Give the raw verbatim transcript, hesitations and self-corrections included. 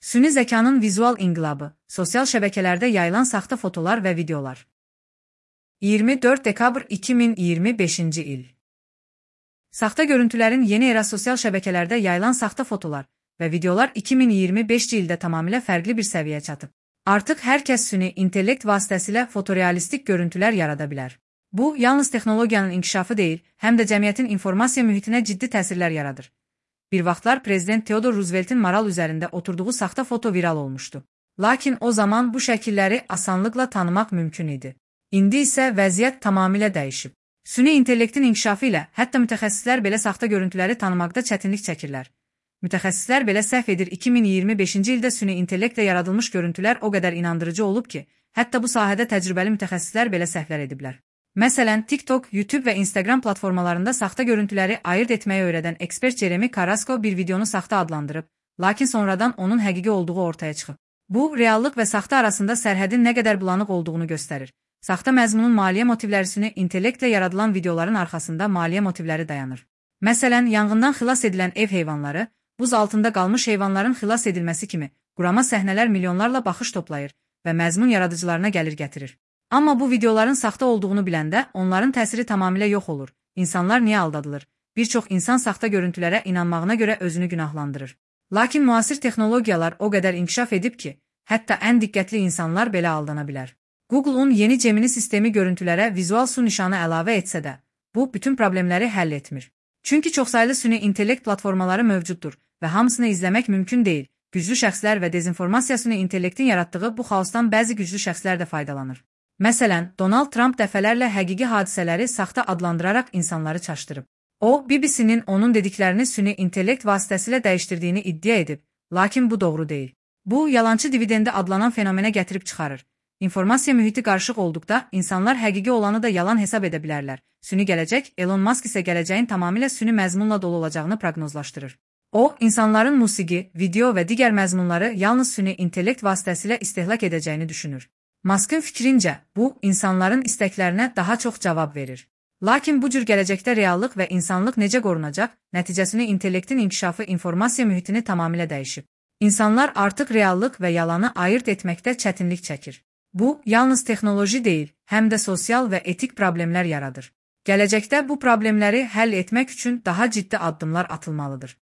Süni zekanın vizual inqilabı, sosial şəbəkələrdə yayılan saxta fotolar və videolar. iyirmi dörd dekabr iki min iyirmi beşinci il. Saxta görüntülərin yeni era sosial şəbəkələrdə yayılan saxta fotolar və videolar iki min iyirmi beşinci ildə tamamilə fərqli bir səviyyəyə çatıb. Artıq hər kəs süni intellekt vasitəsilə fotorealistik görüntülər yarada bilər. Bu, yalnız texnologiyanın inkişafı deyil, həm də cəmiyyətin informasiya mühitinə ciddi təsirlər yaradır. Bir vaxtlar Prezident Theodore Roosevelt'in maral üzərində oturduğu saxta foto viral olmuşdu. Lakin o zaman bu şəkilləri asanlıqla tanımaq mümkün idi. İndi isə vəziyyət tamamilə dəyişib. Süni intellektin inkişafı ilə hətta mütəxəssislər belə saxta görüntüləri tanımaqda çətinlik çəkirlər. Mütəxəssislər belə səhv edir iki min iyirmi beşinci ildə süni intellektlə yaradılmış görüntülər o qədər inandırıcı olub ki, hətta bu sahədə təcrübəli mütəxəssislər belə səhvlər ediblər. Məsələn, TikTok, YouTube və Instagram platformalarında saxta görüntüləri ayırt etməyi öyrədən ekspert Jeremy Carrasco bir videonu saxta adlandırıb, lakin sonradan onun həqiqi olduğu ortaya çıxıb. Bu, reallıq və saxta arasında sərhədin nə qədər bulanıq olduğunu göstərir. Saxta məzmunun maliyyə motivləri süni intellektlə yaradılan videoların arxasında maliyyə motivləri dayanır. Məsələn, yanğından xilas edilən ev heyvanları, buz altında qalmış heyvanların xilas edilməsi kimi qurama səhnələr milyonlarla baxış toplayır və məzmun yaradıcılarına gəlir gətirir. Amma bu videoların saxta olduğunu biləndə onların təsiri tamamilə yox olur. İnsanlar niyə aldadılır? Bir çox insan saxta görüntülərə inanmağına görə özünü günahlandırır. Lakin müasir texnologiyalar o qədər inkişaf edib ki, hətta ən diqqətli insanlar belə aldana bilər. Google'un yeni Gemini sistemi görüntülərə vizual su nişanı əlavə etsə də, bu bütün problemləri həll etmir. Çünki çoxsaylı süni intellekt platformaları mövcuddur və hamısını izləmək mümkün deyil. Güclü şəxslər və dezinformasiya süni intellektin yaratdığı bu xaosdan bəzi güclü şəxslər də faydalanır. Məsələn, Donald Trump dəfələrlə həqiqi hadisələri saxta adlandıraraq insanları çaşdırıb. O, B B C-nin onun dediklərini süni intellekt vasitəsilə dəyişdirdiyini iddia edib, lakin bu doğru deyil. Bu, yalançı dividendi adlanan fenomenə gətirib çıxarır. İnformasiya mühiti qarışıq olduqda, insanlar həqiqi olanı da yalan hesab edə bilərlər. Süni gələcək, Elon Musk isə gələcəyin tamamilə süni məzmunla dolu olacağını proqnozlaşdırır. O, insanların musiqi, video və digər məzmunları yalnız süni intellekt vasitəsilə istehlak edəcəyini düşünür. Musk'ın fikrincə, bu, insanların istəklərinə daha çox cavab verir. Lakin bu cür gələcəkdə reallıq və insanlıq necə qorunacaq, nəticəsini intellektin inkişafı informasiya mühitini tamamilə dəyişib. İnsanlar artıq reallıq və yalanı ayırt etməkdə çətinlik çəkir. Bu, yalnız texnoloji deyil, həm də sosial və etik problemlər yaradır. Gələcəkdə bu problemləri həll etmək üçün daha ciddi addımlar atılmalıdır.